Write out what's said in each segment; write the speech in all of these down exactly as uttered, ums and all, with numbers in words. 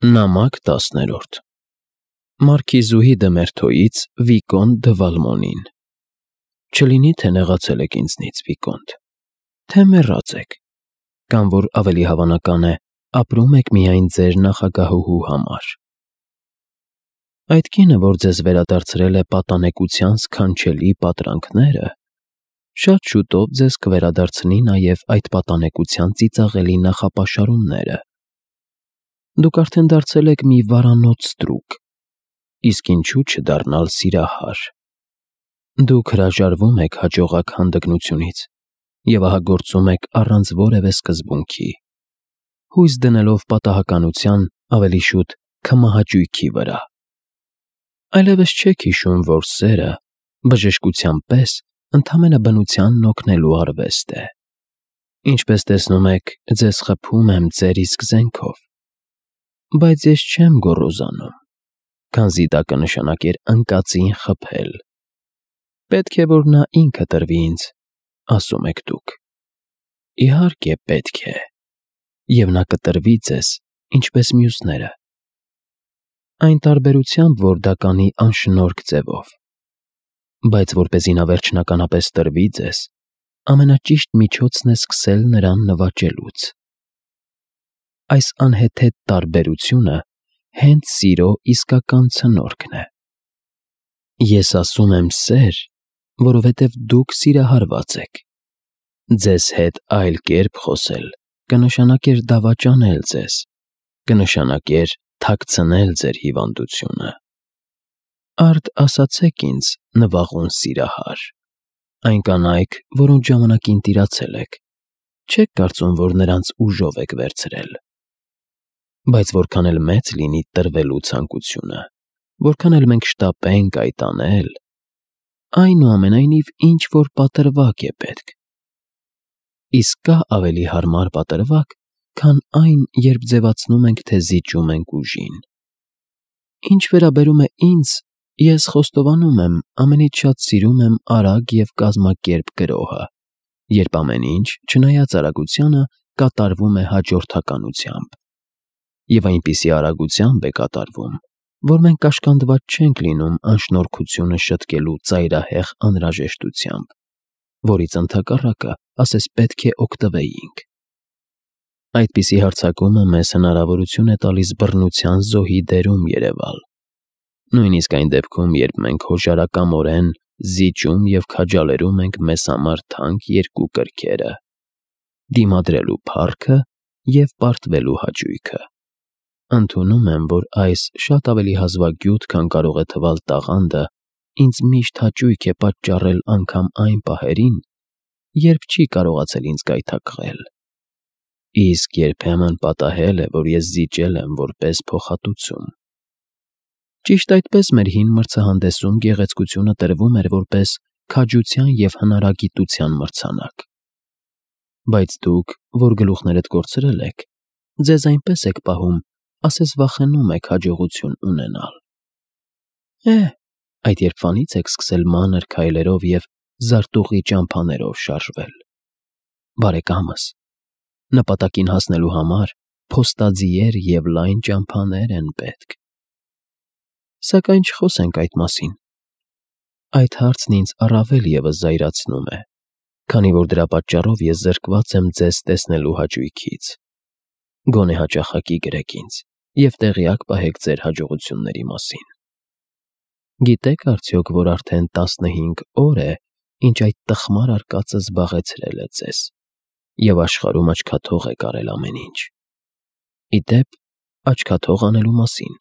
Նամակ տասներորդ Մարքիզուհի Դմերթոյից Վիկոնտ դը Վալմոնին Չլինի թե նեղացել եք ինձնից, Վիկոնտ, թե մեռած եք, կամ որ ավելի հավանական է, ապրում եք միայն ձեր նախագահուհու համար։ Այդ կինը, որ ձեզ վերադարձրել է պատանեկության սքանչելի պատրանքները, շատ շուտով ձեզ կվերադարձնի նաև այդ պատանեկության ծիծաղելի նախապաշարումները։ Դուք արդեն դարձել եք մի վարանոց ստրուկ, իսկ ինչու չդառնալ սիրահար։ Դուք հրաժարվում եք հաջողակ հանդգնությունից և ահա գործում եք առանց որևէ սկզբունքի, հույս դնելով պատահականության, ավելի շուտ քմահաճույքի վրա։ Այլևս չեք հիշում, որ սերը, բժշկության պես, ընդամենը բնությանն օգնելու արվեստ է։ Ինչպես տեսնում եք, ձեզ խփում եմ ձեր իսկ զենքով, բայց ես չեմ գոռոզանում, քանզի դա կնշանակեր ընկածին խփել։ Պետք է, որ նա ինքը տրվի ինձ, ասում եք դուք։ Իհարկե, պետք է, և նա կտրվի ձեզ, ինչպես մյուսները։ Այն տարբերությամբ, որ դա կանի անշնորհք ձևով, բայց որպեսզի նա վերջնականապես տրվի ձեզ, ամենաճիշտ միջոցն է սկսել նրան նվաճելուց։ Այս անհեթեթ տարբերությունը հենց սիրո իսկական ցնորքն է։ Ես ասում եմ սեր, որովհետև դուք սիրահարված եք։ Ձեզ հետ այլ կերպ խոսել կնշանակեր դավաճանել ձեզ, կնշանակեր թաքցնել ձեր հիվանդությունը։ Արդ ասացեք ինձ, նվաղուն սիրահար, այն կանայք, որոնց ժամանակին տիրացել եք, չեք կարծում, որ նրանց ուժով եք վերցրել։ Բայց որքան էլ մեծ լինի տրվելու ցանկությունը, որքան էլ մենք շտապենք այդ անել, այնուամենայնիվ ինչ-որ պատրվակ է պետք։ Իսկ կա ավելի հարմար պատրվակ, քան այն, երբ ձևացնում ենք, թե զիջում ենք ուժին։ Ինչ վերաբերում է ինձ, ես խոստովանում եմ, ամենից շատ սիրում եմ արագ և կազմակերպ գրոհը, երբ ամեն ինչ, չնայած արագությանը, կատարվում է հաջորդականությամբ։ Եվ այնպիսի արագությամբ է կատարվում, որ մենք կաշկանդված չենք լինում անշնորհքությունը շտկելու ծայրահեղ անհրաժեշտությամբ, որից ընդհակառակը ասես պետք է օգտվեինք։ Այդպիսի հարձակումը մեզ հնարավորություն է տալիս բռնության զոհի դերում երևալ, նույնիսկ այն դեպքում, երբ մենք հոժարակամորեն զիջում և քաջալերում ենք մեզ համար թանկ երկու կրքերը՝ դիմադրելու փառքը և պարտվելու հաճույքը։ Ընդունում եմ, որ այս շատ ավելի հազվագյուտ, քան կարող է թվալ տաղանդը, ինձ միշտ հաճույք է պատճառել անգամ այն պահերին, երբ չի կարողացել ինձ գայթակղել։ Իսկ երբեմն պատահել է, որ ես զիջել եմ որպես փոխհատուցում։ Ճիշտ այդպես մեր հին մրցահանդեսում գեղեցկությունը տրվում էր որպես քաջության և հնարագիտության մրցանակ։ Բայց դուք, որ գլուխներդ կորցրել եք, ձեզ այնպես եք պահում, ասես վախենում եք հաջողություն ունենալ։ Է՜, այդ երբվանից եք սկսել մանր քայլերով և զարտուղի ճամփաներով շարժվել։ Բարեկամս, նպատակին հասնելու համար փոստաձիեր և լայն ճամփաներ են պետք։ Սակայն չխոսենք այդ մասին։ Այդ հարցն ինձ առավել ևս զայրացնում է, քանի որ դրա պատճառով ես զրկված եմ ձեզ տեսնելու հաճույքից։ Գոնե հաճախակի գրեք ինձ և տեղյակ պահեք ձեր հաջողությունների մասին։ Գիտե՞ք արդյոք, որ արդեն տասնհինգ օր է, ինչ այդ տխմար արկածը զբաղեցրել է ձեզ, և աշխարհում աչքաթող եք արել ամեն ինչ։ Ի դեպ, աչքաթող անելու մասին։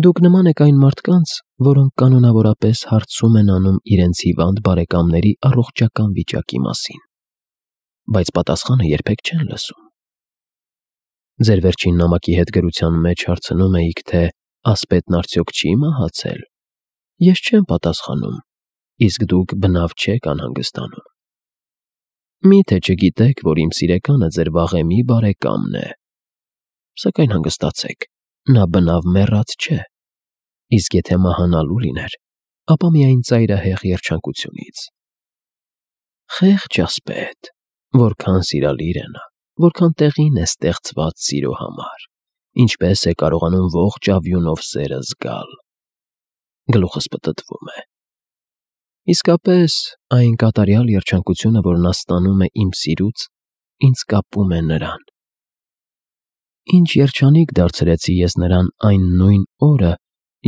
Դուք նման եք այն մարդկանց, որոնք կանոնավորապես հարցում են անում իրենց հիվանդ բարեկամների առողջական վիճակի մասին, բայց պատասխանը երբեք չեն լսում։ Ձեր վերջին նամակի հետ գրության մեջ հարցնում էիք, թե ասպետն արդյոք չի՞ մահացել։ Ես չեմ պատասխանում, իսկ դուք բնավ չեք անհանգստանում։ Մի՞թե չգիտեք, որ իմ սիրեկանը ձեր վաղեմի բարեկամն է։ Սակայն հանգստացեք, նա բնավ մեռած չէ, իսկ եթե մահանալու լիներ, ապա միայն ծայրահեղ երջանկությունից։ Խեղճ ասպետ, որքան սիրալիր է նա, որքան տեղին է ստեղծված սիրո համար, ինչպես է կարողանում ողջ ավյունով սերը զգալ։ Գլուխս պտտվում է։ Իսկապես, այն կատարյալ երջանկությունը, որ նա ստանում է իմ սիրուց, ինձ կապում է նրան։ Ինչ երջանիկ դարձրեցի ես նրան այն նույն օրը,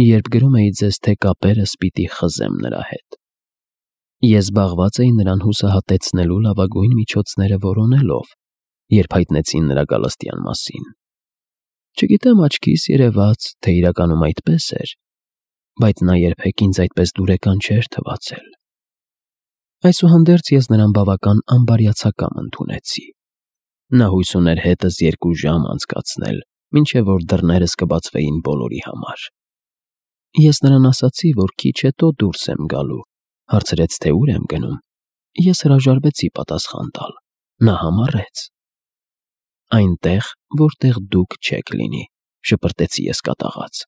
երբ գրում էի ձեզ, թե կապերս պիտի խզեմ նրա հետ։ Ես զբաղված էի նրան հուսահատեցնելու լավագույն միջոցները որոնելով, երբ հայտնեցին նրա գալստյան մասին։ Չգիտեմ աչքիս երևաց, թե իրականում այդպես էր, բայց նա երբեք ինձ այդպես դուրեկան չէր թվացել։ Այսուհանդերձ ես նրան բավական անբարյացակամ ընդունեցի։ Նա հույս ուներ հետս երկու ժամ անցկացնել, մինչև որ դռներս կբացվեին բոլորի համար։ Ես նրան ասացի, որ քիչ հետո դուրս եմ գալու, հարցրեց, թե ուր եմ գնում։ Ես հրաժարվեցի պատասխան տալ։ Նա համառեց։ Այնտեղ, որտեղ դուք չեք լինի, շպրտեցի ես կատաղած։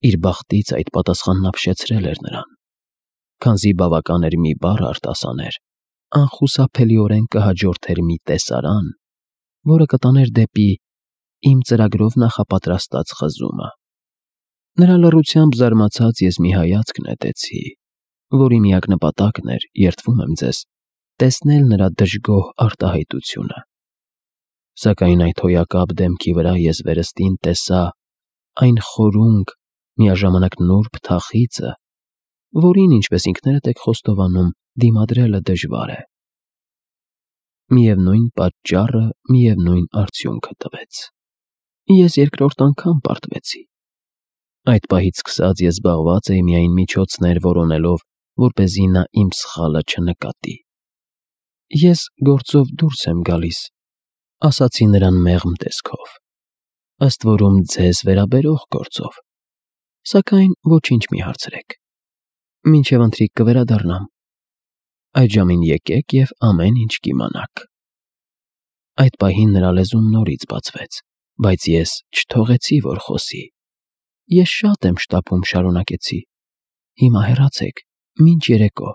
Իր բախտից այդ պատասխանն ապշեցրել էր նրան։ Քանզի բավական էր մի բառ արտասաներ, անխուսափելիորեն կհաջորդեր մի տեսարան, որը կտաներ դեպի իմ ծրագրով նախապատրաստած խզումը։ Նրա լռությամբ զարմացած ես մի հայացք նետեցի, որի միակ նպատակն էր, երդվում եմ ձեզ, տեսնել նրա դժգոհ արտահայտությունը։ Սակայն այդ հոյակապ դեմքի վրա ես վերստին տեսա այն խորունկ, միաժամանակ նուրբ թախիծը, որին, ինչպես ինքներդ եք խոստովանում, դիմադրելը դժվար է։ Միևնույն պատճառը միևնույն արդյունքը տվեց։ Ես երկրորդ անգամ պարտվեցի։ Այդ պահից սկսած ես զբաղված էի միայն միջոցներ որոնելով, որպեսզի նա իմ սխալը չնկատի։ Ես գործով դուրս եմ գալիս, ասացի նրան մեղմ տեսքով, ըստ որում ձեզ վերաբերող գործով, սակայն ոչինչ մի հարցրեք, մինչև ընթրիք կվերադառնամ։ Այդ ժամին եկեք և ամեն ինչ կիմանաք։ Այդ պահին նրա լեզուն նորից բացվեց, բայց ես չթողեցի, որ խոսի։ Ես շատ եմ շտապում, շարունակեցի։ Հիմա հեռացեք, մինչ երեկո։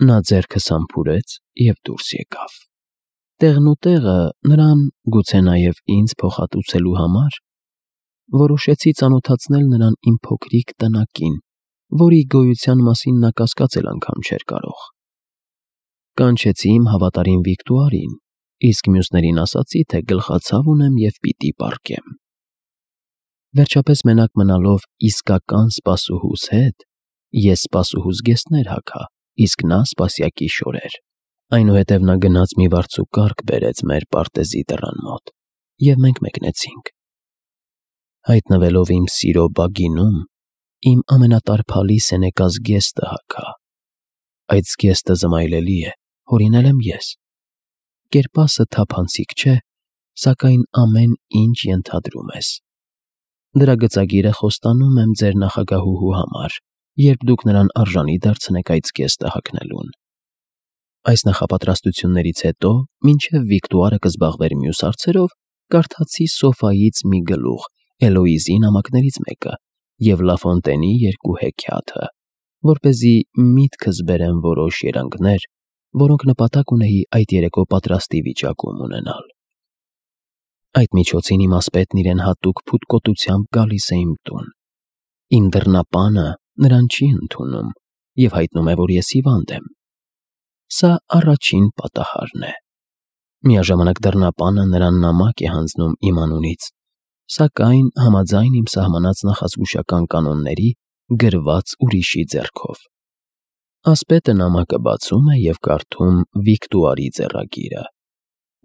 Նա ձեռքս համբուրեց և դուրս եկավ։ Տեղնուտեղը նրան, գուցե նաև ինձ փոխհատուցելու համար, որոշեցի ծանոթացնել նրան իմ փոքրիկ տնակին, որի գոյության մասին նա կասկածել անգամ չէր կարող։ Կանչեցի իմ հավատարիմ Վիկտուարին, իսկ մյուսներին ասացի, թե գլխացավ ունեմ և պիտի պառկեմ։ Վերջապես մենակ մնալով իսկական սպասուհուս հետ, ես սպասուհուս զգեստներ հագա, իսկ նա սպասյակի շորեր։ Այնուհետև նա գնաց մի վարձուկարգ բերեց մեր պարտեզի դռան մոտ, և մենք մեկնեցինք։ Հայտնվելով իմ սիրո բագինում, իմ ամենատարփալի սենեկա զգեստը հագա։ Այդ զգեստը զմայլելի է, հորինել եմ ես։ Կերպասը թափանցիկ չէ, սակայն ամեն ինչ ենթադրում ես։ Դրա գծագիրը խոստանում եմ ձեր նախագահուհու համար, երբ դուք նրան արժանի դարձնեք այդ զգեստը հագնելուն։ Այս նախապատրաստություններից հետո, մինչև Վիկտուարը կզբաղվեր մյուս հարցերով, կարդացի Սոֆայից մի գլուխ, Էլոիզի նամակներից մեկը և Լաֆոնտենի երկու հեքիաթը, որպեսզի միտքս բերեմ որոշ երանգներ, որոնք նպատակ ունեի այդ երեկո պատրաստի վիճակում ունենալ։ Այդ միջոցին իմ ասպետն իրեն հատուկ փութկոտությամբ գալիս է իմ տուն։ Իմ դռնապանը նրան չի ընդունում և հայտնում է, որ ես հիվանդ եմ։ Սա առաջին պատահարն է։ Միաժամանակ դռնապանը նրան նամակ է հանձնում իմ անունից, սակայն համաձայն իմ սահմանած նախազգուշական կանոնների գրված ուրիշի ձեռքով։ Ասպետը նամակը բացում է և կարդում Վիկտուարի ձեռագիրը։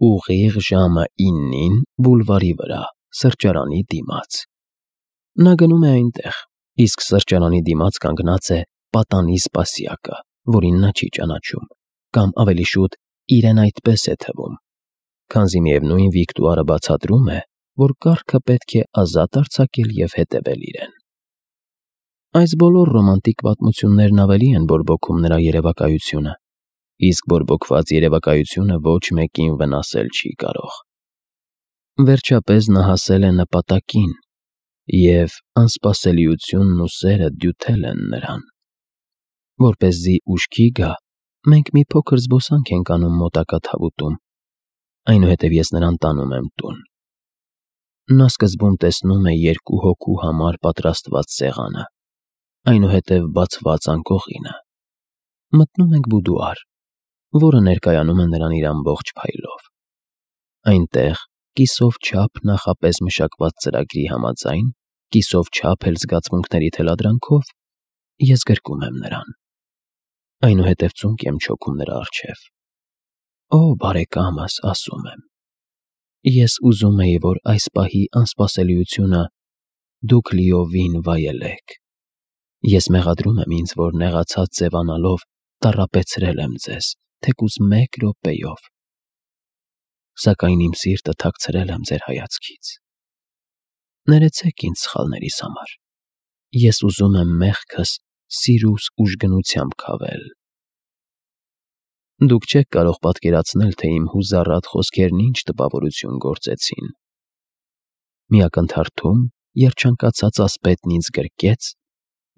Ուղիղ ժամը իննին բուլվարի վրա, սրճարանի դիմաց։ Նա գնում է այնտեղ, իսկ սրճարանի դիմաց կանգնած է պատանի սպասյակը, որին նա չի ճանաչում, կամ ավելի շուտ իրեն այդպես է թվում, քանզի միևնույն Վիկտուարը բացատրում է, որ կառքը պետք է ազատ արձակել և հետևել իրեն։ Այս բոլոր ռոմանտիկ պատմություններն ավելի են բորբոքում նրա երևակայությունը, իսկ բորբոքված երևակայությունը ոչ մեկին վնասել չի կարող։ Վերջապես նա հասել է նպատակին, և անսպասելիությունն ու սերը դյութել են նրան։ Որպեսզի ուշքի գա, մենք մի փոքր զբոսանք ենք անում մոտակա թավուտում, այնուհետև ես նրան տանում եմ տուն։ Նա սկզբում տեսնում է երկու հոգու համար պատրաստված սեղանը, այնուհետև բացված անկողինը։ Մտնում ենք բուդուար, որը ներկայանում է նրան իր ամբողջ փայլով։ Այնտեղ, կիսով չափ նախապես մշակված ծրագրի համաձայն, կիսով չափ էլ զգացմունքների թելադրանքով, ես գրկում եմ նրան։ Այնուհետև ծունկ եմ չոքում նրա առջև։ Օ, բարեկամս, ասում եմ, ես ուզում էի, որ այս պահի անսպասելիությունը դուք լիովին վայելեք։ Ես մեղադրում եմ ինձ, որ նեղացած ձևանալով տառապեցրել եմ ձեզ, թեկուզ մեկ րոպեով, սակայն իմ սիրտը թաքցրել եմ ձեր հայացքից։ Ներեցեք ինձ սխալներիս համար, ես ուզում եմ մեղքս սիրուս ուժգնությամբ քավել։ Դուք չեք կարող պատկերացնել, թե իմ հուզառատ խոսքերն ինչ տպավորություն գործեցին։ Մի ակնթարթում երջանկացած ասպետն ինձ գրկեց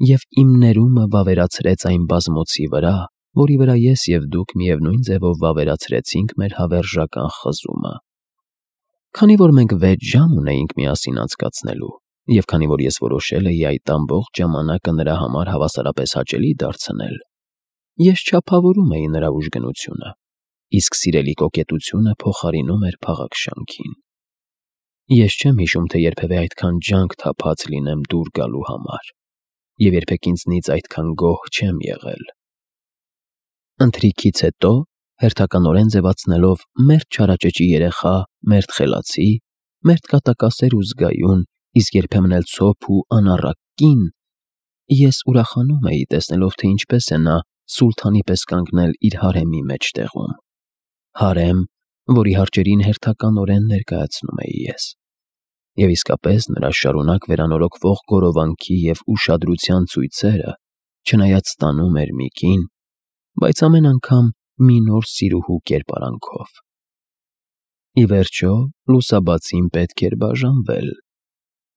և իմ ներումը վավերացրեց այն բազմոցի վրա, որի վրա ես և դուք միևնույն ձևով վավերացրեցինք մեր հավերժական խզումը։ Քանի որ մենք վեց ժամ ունեինք միասին անցկացնելու, և քանի որ ես որոշել էի այդ ամբողջ ժամանակը նրա համար հավասարապես հաճելի դարձնել, ես չափավորում էի նրա ուժգնությունը, իսկ սիրելի կոկետությունը փոխարինում էր փաղաքշանքին։ Ես չեմ հիշում, թե երբևէ այդքան ջանք թափած լինեմ դուր գալու համար, և երբեք ինձնից այդքան գոհ չեմ եղել։ Ընթրիքից հետո, հերթականորեն ձևացնելով մերթ չարաճճի երեխա, մերթ խելացի, մերթ կատակասեր ու զգայուն, իսկ երբեմն էլ ցոփ ու անառակ կին, ես ուրախանում էի, տեսնելով, թե ինչպես է նա սուլթանի պես կանգնել իր հարեմի մեջտեղում, հարեմ, որի հարճերին հերթականորեն ներկայացնում էի ես։ Եվ իսկապես նրա շարունակ վերանորոգվող գորովանքի և ուշադրության ցույցերը, չնայած ստանում էր մի կին, բայց ամեն անգամ մի նոր սիրուհու կերպարանքով։ Ի վերջո, լուսաբացին պետք էր բաժանվել,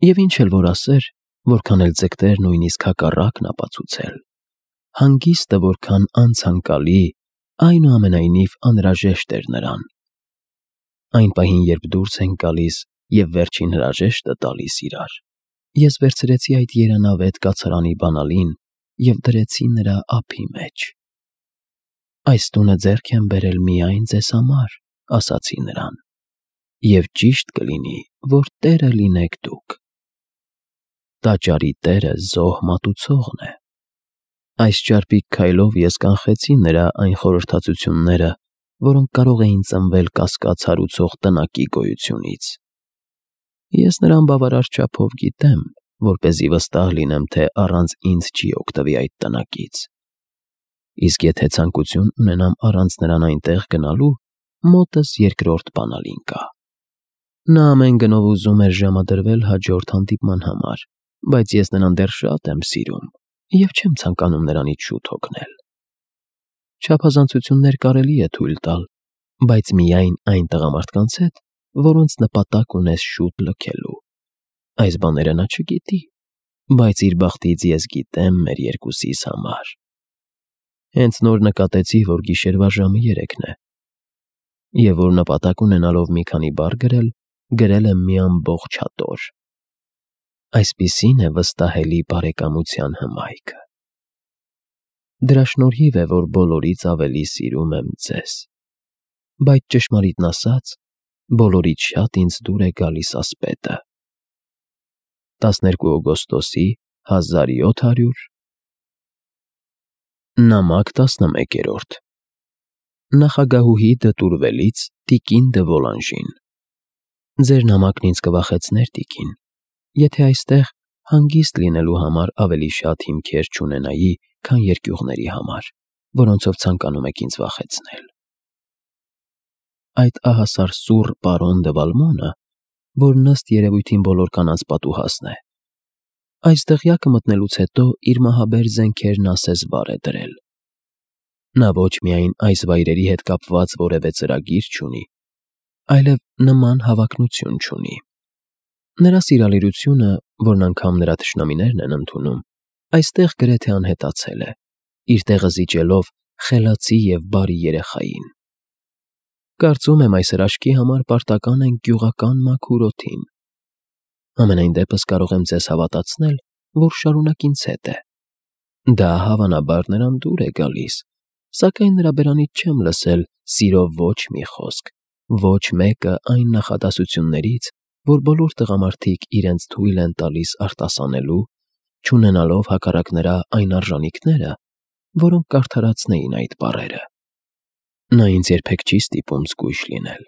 և ինչ էլ որ ասեր, որքան էլ ձգտեր նույնիսկ հակառակն ապացուցել, հանգիստը որքան անցանկալի, այնուամենայնիվ անհրաժեշտ էր նրան։ Այն պահին, երբ դուրս ենք գալիս և վերջին հրաժեշտը տալիս իրար, ես վերցրեցի այդ երանավետ կացարանի բանալին և դրեցի նրա ափի մեջ։ Այս տունը ձեռք եմ բերել միայն ձեզ համար, ասացի նրան, և ճիշտ կլինի, որ տերը լինեք դուք։ Տաճարի տերը զոհ մատուցողն է։ Այս ճարպիկ քայլով ես կանխեցի նրա այն խորհրդածությունները, որոնք կարող էին ծնվել կասկած հարուցող տնակի գոյությունից։ Ես նրան բավարար չափով գիտեմ, որպեսզի վստահ լինեմ, թե առանց ինձ չի օգտվի այդ տնակից։ Իսկ եթե ցանկություն ունենամ առանց նրան այնտեղ գնալու, մոտս երկրորդ բանալին կա։ Նա ամեն գնով ուզում էր ժամադրվել հաջորդ հանդիպման համար, բայց ես նրան դեռ շատ եմ սիրում և չեմ ցանկանում նրանից շուտ հոգնել։ Չափազանցություններ կարելի է թույլ տալ, բայց միայն այն տղամարդկանց հետ, որոնց նպատակ ունես շուտ լքելու։ Այս բաները նա չգիտի, բայց իր բախտից ես գիտեմ մեր երկուսիս համար։ Հենց նոր նկատեցի, որ գիշերվա ժամը երեքն է, և որ նպատակ ունենալով մի քանի բառ գրել, գրել եմ մի ամբողջ հատոր։ Այսպիսին է վստահելի բարեկամության հմայքը։ Դրա շնորհիվ է, որ բոլորից ավելի սիրում եմ ձեզ, բայց ճշմարիտն ասած, բոլորից շատ ինձ դուր է գալիս ասպետը։ տասներկու օգոստոսի հազար յոթ հարյուր Նամակ տասնմեկերորդ Նախագահուհի դտուրվելից տիկին դը Վոլանժին։ Ձեր նամակն ինձ կվախեցներ, տիկին, եթե այստեղ հանգիստ լինելու համար ավելի շատ հիմքեր չունենայի, քան երկյուղների համար, որոնցով ցանկանում եք ինձ վախեցնել։ Այդ ահասար սուռ պարոն դը Վալմոնը, որ ըստ երևույթին բոլոր կանանց պատուհասն է, այս դղյակը մտնելուց հետո իր մահաբեր զենքերն ասես վար է դրել։ Նա ոչ միայն այս վայրերի հետ կապված որևէ ծրագիր չունի, այլև նման հավակնություն չունի։ Նրա սիրալիրությունը, որն անգամ նրա թշնամիներն են ընդունում, այստեղ գրեթե անհետացել է, իր տեղը զիջելով խելացի և բարի երեխային։ Կարծում եմ, այս հրաշքի համար պարտական ենք գյուղական մաքուր օդին։ Ամենայն դեպս կարող եմ ձեզ հավատացնել, որ շարունակ ինձ հետ է։ Դա հավանաբար նրան դուր է գալիս, սակայն նրա բերանից չեմ լսել սիրով ոչ մի խոսք, ոչ մեկը այն նախադասություններից, որ բոլոր տղամարդիկ իրենց թույլ են տալիս արտասանելու, չունենալով հակառակ նրա այն արժանիքները, որոնք կարդարացնեին այդ բառերը։ Նա ինձ երբեք չի ստիպում զգույշ լինել,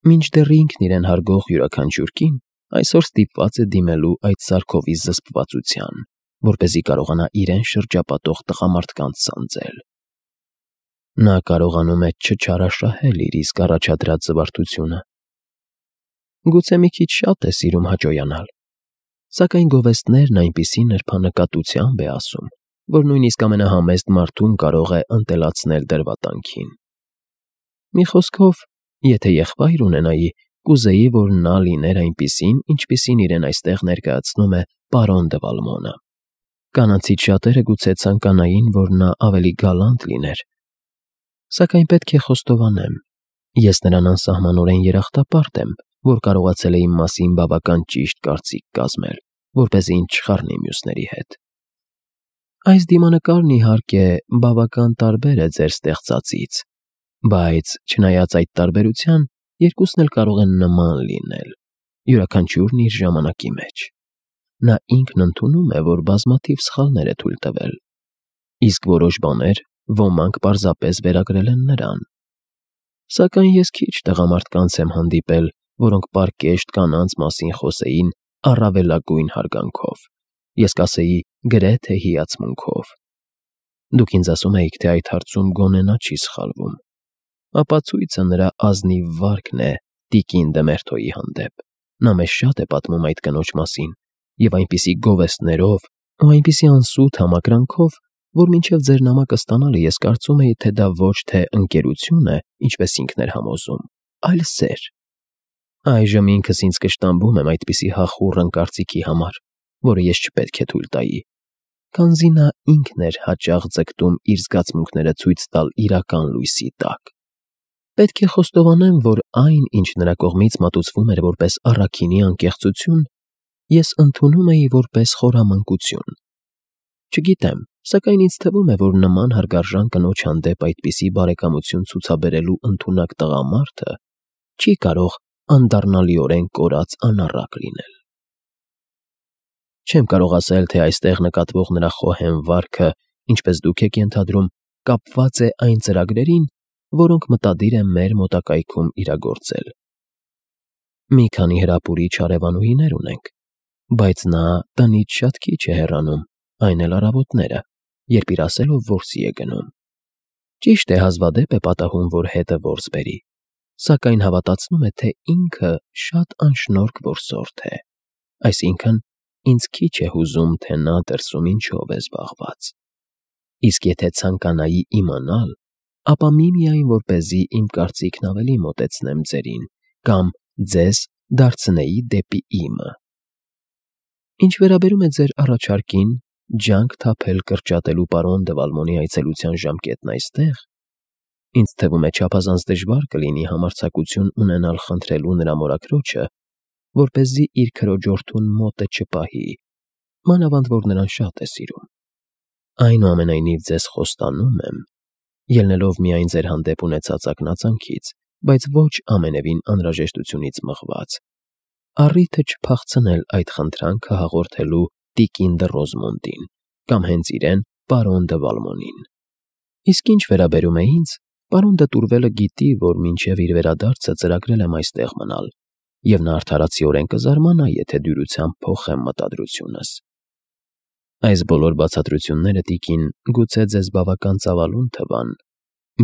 մինչդեռ ինքն իրեն հարգող յուրաքանչյուր կին այսօր ստիպված է դիմելու այդ սարքովի զսպվածության, որպեսզի կարողանա իրեն շրջապատող տղամարդկանց սանձել։ Նա կարողանում է չչարաշահել իր իսկ առաջադրած զվարթությունը։ Գուցե մի քիչ շատ է սիրում հաճոյանալ, սակայն գովեստներն այնպիսի նրբանկատությամբ է ասում, որ նույնիսկ ամենահամեստ մարդուն կարող է ընտելացնել դրվատանքին։ Մի խոսքով, եթե եղբայր ունենայի, կուզեի, որ նա լիներ այնպիսին, ինչպիսին իրեն այստեղ ներկայացնում է պարոն դե Վալմոնը։ Կանացից շատերը գուցե ցանկանային, որ նա ավելի գալանտ լիներ, սակայն պետք է խոստովանեմ, ես նրան անսահմանորեն երախտապարտ եմ, որ կարողացել է իմ մասին բավական ճիշտ կարծիք կազմել, որպեսզի ինձ չխառնի մյուսների հետ։ Այս դիմանկարն, իհարկե, բավական տարբեր է ձեր ստեղծածից, բայց, չնայած այդ տարբերության, երկուսն էլ կարող են նման լինել, յուրաքանչյուրն իր ժամանակի մեջ։ Նա ինքն ընդունում է, որ բազմաթիվ սխալներ է թույլ տվել, իսկ որոշ բաներ ոմանք պարզապես վերագրել են նրան։ Սակայն ես քիչ տղամարդկանց եմ հանդիպել, որոնք պարկեշտ կանանց մասին խոսեին առավելագույն հարգանքով, ես կասեի գրեթե հիացմունքով։ Դուք ինձ ասում էիք, թե այդ հարցում գոնե նա չի սխալվում։ Ապացույցը նրա ազնիվ վարքն է տիկին Դեմերթոյի հանդեպ։ Նա մեզ շատ է պատմում այդ կնոջ մասին, և այնպիսի գովեստներով ու այնպիսի անսուտ համակրանքով, որ մինչև ձեր նամակը ստանալը ես կարծում էի, թե դա ոչ թե ընկերություն է, ինչպես ինքն էր համոզում, այլ սեր։ Այժմ ինքս ինձ կշտամբում եմ այդպիսի հախուռն կարծիքի համար, որը ես չպետք է թույլ տայի, քանզի նա ինքն էր հաճախ ձգտում իր զգացմունքները ցույց տալ իրական լույսի տակ։ Պետք է խոստովանեմ, որ այն, ինչ նրա կողմից մատուցվում էր որպես առաքինի անկեղծություն, ես ընդունում էի որպես խորամանկություն։ Չգիտեմ, սակայն ինձ թվում է, որ նման հարգարժան կնոջ հանդեպ այդպիսի բարեկամություն ցուցաբերելու ընդունակ տղամարդը չի կարող անդառնալիորեն կորած անառակ լինել։ Չեմ կարող ասել, թե այստեղ նկատվող նրա խոհեմ վարքը, ինչպես դուք եք ենթադրում, կապված է այն ծրագրերին, որոնք մտադիր է մեր մոտակայքում իրագործել։ Մի քանի հրապուրիչ հարևանուհիներ ունենք, բայց նա տնից շատ քիչ է հեռանում, այն էլ առավոտները, երբ իր ասելով որսի է գնում։ Ճիշտ է, հազվադեպ է պատահում, որ հետը որս բերի, սակայն հավատացնում է, թե ինքը շատ անշնորհք որսորդ է, այսինքն ինձ քիչ է հուզում, թե նա դրսում ինչով է զբաղված։ Իսկ եթե ցանկանայի իմանալ, ապա միմիայն որպեսզի իմ կարծիքն ավելի մոտեցնեմ ձերին կամ ձեզ դարձնեի դեպի իմը։ Ինչ վերաբերում է ձեր առաջարկին ջանք թափել կրճատելու պարոն դե Վալմոնի այցելության ժամկետն այստեղ, ինձ թվում է չափազանց դժվար կլինի համարձակություն ունենալ խնդրելու նրա մորաքրոջը, որպեսզի իր քրոջորդուն մոտը չպահի, մանավանդ որ նրան շատ է սիրում։ Այնուամենայնիվ ձեզ խոստանում եմ, ելնելով միայն ձեր հանդեպ ունեցած ակնածանքից, բայց ոչ ամենևին անհրաժեշտությունից մղված, առիթը չփախցնել այդ խնդրանքը հաղորդելու տիկին դը Ռոզմոնդին կամ հենց իրեն պարոն դը Վալմոնին։ Իսկ ինչ վերաբերում է ինձ, պարոն դը Տուրվելը գիտի, որ մինչև իր վերադարձը ծրագրել եմ այստեղ մնալ, և նա արդարացիորեն կզարմանա, եթե դյուրությամբ փոխեմ մտադրությունս։ Այս բոլոր բացատրությունները, տիկին, գուցե ձեզ բավական ծավալուն թվան,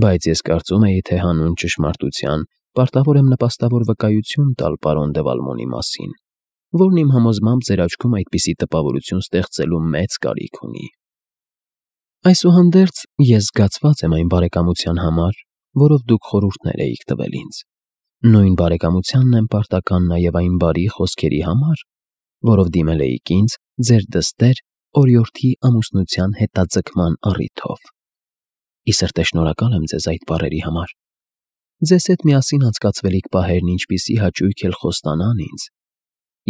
բայց ես կարծում էի, թե հանուն ճշմարտության պարտավոր եմ նպաստավոր վկայություն տալ պարոն դե Վալմոնի մասին, որն իմ համոզմամբ ձեր աչքում այդպիսի տպավորություն ստեղծելու մեծ կարիք ունի։ Այսուհանդերձ ես զգացված եմ այն բարեկամության համար, որով դուք խորհուրդներ էիք տվել ինձ։ Նույն բարեկամությանն եմ պարտական նաև այն բարի խոսքերի համար, որով դիմել էիք ինձ ձեր դստեր օրիորդի ամուսնության հետաձգման առիթով։ Ի սրտե շնորհակալ եմ ձեզ այդ բառերի համար։ Ձեզ հետ միասին անցկացվելիք պահերն ինչպիսի հաճույք էլ խոստանան ինձ,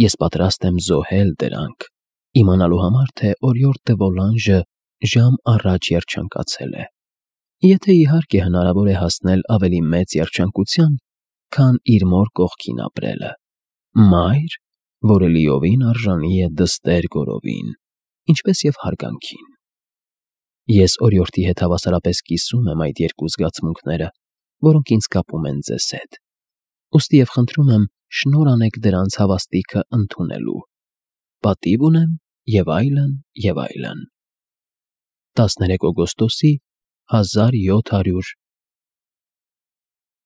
Ես պատրաստ եմ զոհել դրանք, իմանալու համար, թե օրիորդ դը Ոլանժը ժամ առաջ երջանկացել է, եթե իհարկե հնարավոր է հասնել ավելի մեծ երջանկության, քան իր մոր կողքին ապրելը, մայր, որը լիովին արժանի է դստեր գորովին, ինչպես և հարգանքին։ Ես օրիորդի հետ հավասարապես կիսում եմ այդ երկու զգացմունքները, որոնք ինձ կապում են ձեզ հետ, ուստի և խնդրում եմ շնորհ անեք դրանց հավաստիքը ընդունելու, պատիվ ունեմ և այլն, և այլն։ տասներեք օգոստոսի հազար յոթ հարյուր